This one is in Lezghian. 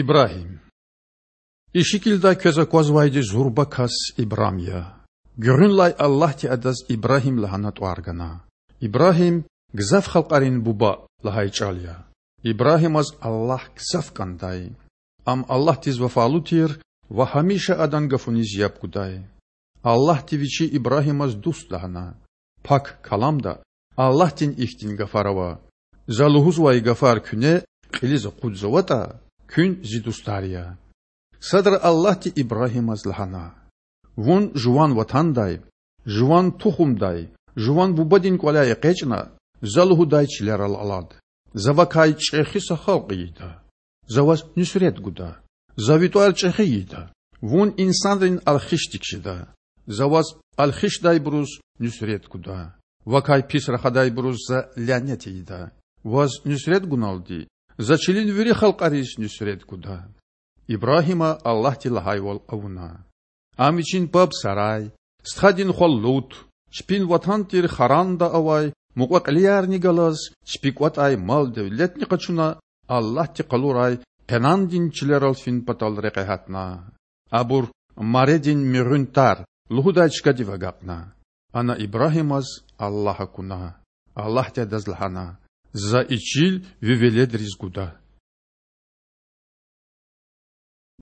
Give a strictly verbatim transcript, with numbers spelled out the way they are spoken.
Ибрагьим. И шикилда квез аквазвайди зурба кас Ибрам я. Гуьгъуьнлай Аллагьди адаз Ибрагьим лагьана тІвар гана. Ибрагьим Гзаф халкьарин буба лагьай чІал я. Ибрагьимаз Аллагь гзаф кІандай. Ам Аллагьдиз вафалу тир ва гьамиша Адан гафуниз яб гудай. Аллагьди Вичи Ибрагьимаз дуст лагьана. Пак Каламда Аллагьдин ихьтин гафар ава: За лугьузвай гафар куьне кьилиз акъудзаватІа, куьн Зи дустар я. Садра Аллагьди Ибрагьимаз лагьана: Вун жуван ватандай, жуван тухумдай, жуван бубадин кІваляй экъечІна За лугьудай чилерал алад. За вакай чІехи са халкь ийида. За ваз нуьсрет гуда. За ви тІвар чІехи ийида. Вун инсанрин алхишдик жеда. За ваз алхишдайбуруз нуьсрет гуда. Вакай пис рахадайбуруз За лянет ийида. Ваз нуьсрет гуналди За чилин вири халкьариз нуьсрет гуда. Ибрагьима Аллагьди лагьайвал авуна. Ам вичин паб Сарай, стхадин хва Лут, чпин ватан тир Харанда авай мукьва-кьилиярни галаз, чпи кІватІай мал-девлетни къачуна, Аллагьди къалурай Къенандин чилерал фин патал рекье гьатна. Абур Маредин муьгъуьн тар лугьудай чкадив агакьна. Ана Ибрагьимаз Аллагь акуна. Аллагьди адаз лагьана: За и чил ви веледриз гуда.